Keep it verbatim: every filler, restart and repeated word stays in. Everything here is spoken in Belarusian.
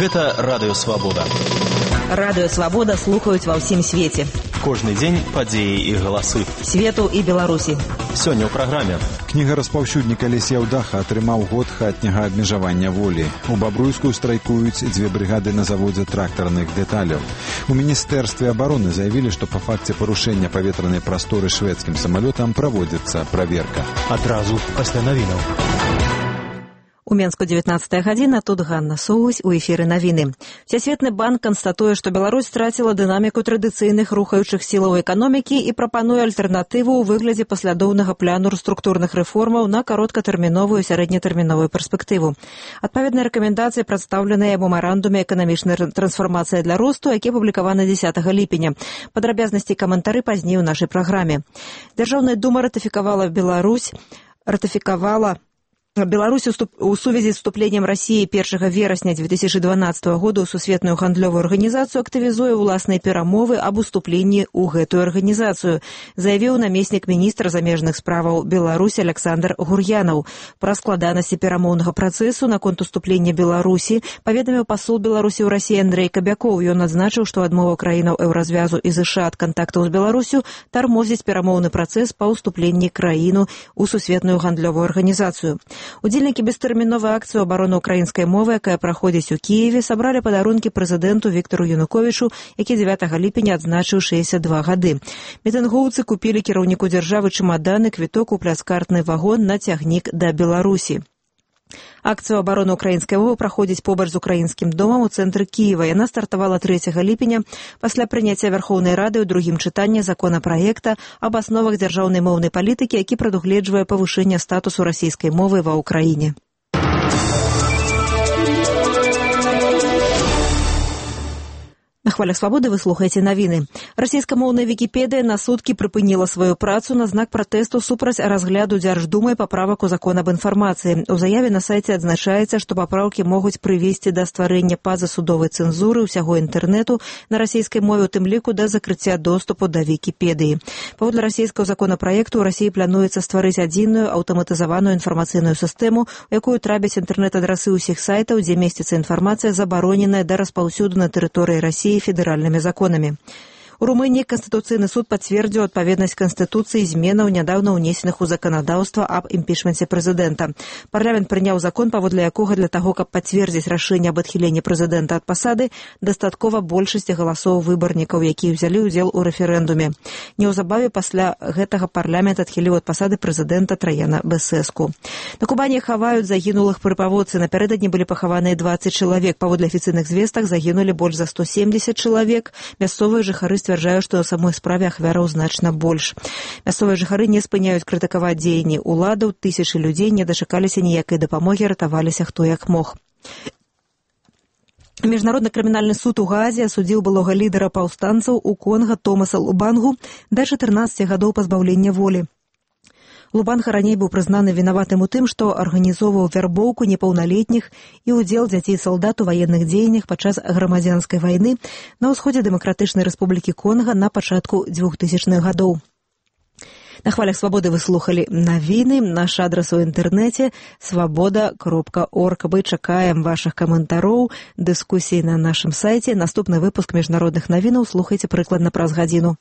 Гэта Радыё Свабода. Радыё Свабода слухаюць ва ўсім свеце. Кожны дзень падзеі і галасы. Свету і Беларусі. Сёння ў праграме. Кніга распаўсюдніка Алексей Аўдаха атрымаў год хатняга абмежавання волі. У Бабруйскую страйкуюць дзве брыгады на заводзе трактарных дэталяў. У Міністэрстве абароны заявілі, што па факце парушэння паветранай прасторы шведскім самалётам праводзіцца праверка. Адразу пасля навінаў. У Менску дзевятнаццатая гадзіна, тут Ганна Соусь, у эфіры навіны. Всесветны банк канстатуе, што Беларусь страціла дынаміку традыцыйных рухаючых сілаў эканомікі і прапануе альтэрнатыву ў выглядзе паслядоўнага пляну структурных рэформаў на кароткатэрміновую і сярэднетэрміновую перспектыву. Адпаведныя рэкамендацыі прадстаўленыя ў мемарандуме эканамічнай трансфармацыі для росту, які апублікаваны дзесятага ліпеня. Падрабязнасці і каментары пазней у нашай праграме. Дзяржаўная дума ратыфікавала Беларусь, ратыфікавала Беларусь у сувязі з вступленнем России першага верасня две тысячи дванаццатага года ў сусветную гандлёвую арганізацыю актывізуе ўласныя перамовы аб уступленні ў гэтую арганізацыю, заявіў намеснік міністра замежных справаў Беларусі Александр Гур'янаў. Пра складанасці перамоўнага працэсу наконт уступлення Беларусі паведаміў пасол Беларусі ў Расіі Андрэй Кабякоў. Ён адзначыў, што адмова краінаў еўразвязу і ЗША ад кантактаў з Беларусю тармозіць перамоўны працэс па ўступленні краіну ў сусветную гандлёвую арганізацыю. Удзельнікі бестэрміновай акцыі абароны ўкраінскай мовы, якая праходзіць у Кіеве, сабралі падарункі прэзідэнту Віктару Януковічу, які дзевятага ліпеня адзначыў шэсцьдзясят два гады. Мітынгоўцы купілі кіраўніку дзяржавы чамаданы, квіток у пляцкартны вагон на цягнік да Беларусі. Акцыю абароны ўкраінскай мовы праходзіць побач з украінскім домам у цэнтры Кіева. Яна стартавала трэцяга ліпеня пасля прыняцця Вярхоўнай Рады ў другім чытанні законапраекта аб асновах дзяржаўнай моўнай палітыкі, які прадугледжвае павышэнне статусу расійскай мовы ва ўкраіне. На хвалях свабоды вы слухаеце навіны. Расійскамоўная Вікіпедыя на суткі прыпыніла сваю працу на знак пратэсту супраць разгляду Дзярждумай паправак у закон аб інфармацыі. У заяве на сайце адзначаецца, што папраўкі могуць прывесці да стварэння пазасудовай цэнзуры ўсяго інтэрнэту на расійскай мове, у тым ліку да закрыцця доступу да Вікіпедыі. Паводле расійскага законапраекту ў Расіі плануецца стварыць адзіную аўтаматызаваную інфармацыйную сістэму, у якую трапяць інтэрнэт-адрасы ўсіх сайтаў, дзе месціцца інфармацыя, забароненая да распаўсюду на тэрыторыі Расіі федэральнымі законамі. У Румыніі Канстытуцыйны суд пацвердзіў адпаведнасць Канстытуцыі зменаў, нядаўна ўнесеных у заканадаўства аб імпічменце прэзідэнта. Парламент прыняў закон, паводле якога для таго, каб пацвердзіць рашэнне аб адхіленні прэзідэнта ад пасады, дастаткова большасці галасоў выбарнікаў, якія ўзялі ўдзел у рэферэндуме. Неўзабаве пасля гэтага парламент адхіліў ад пасады прэзідэнта Траяна Бесеску. На Кубані хаваюць загінулых пры паводцы. Напярэдадні былі пахаваныя дваццаць чалавек. Паводле афіцыйных звестак загінулі больш за сто семдзесят чалавек. Мясцовыя жыхары сцвярджаюць, што ў самой справе ахвяраў значна больш. Мясцовыя жыхары не спыняюць крытыкаваць дзеянні ўладаў. Тысячы людзей не дачакаліся ніякай дапамогі, ратаваліся хто як мог. Міжнародны крымінальны суд у Гаазе асудзіў былога лідара паўстанцаў у Конга Томаса Лубангу да чатырнаццаці гадоў пазбаўлення волі. Лубанга раней быў прызнаны вінаватым у тым, што арганізоўваў вярбоўку непаўналетніх і ўдзел дзяцей-салдат у ваенных дзеяннях падчас грамадзянскай вайны на ўсходзе Дэмакратычнай Рэспублікі Конга на пачатку двухтысячных гадоў. На хвалях свабоды вы слухалі навіны. Наш адрас у інтэрнэце свабода кропка орг. Мы чакаем вашых каментароў, дыскусій на нашым сайце. Наступны выпуск міжнародных навінаў слухайце прыкладна праз гадзіну.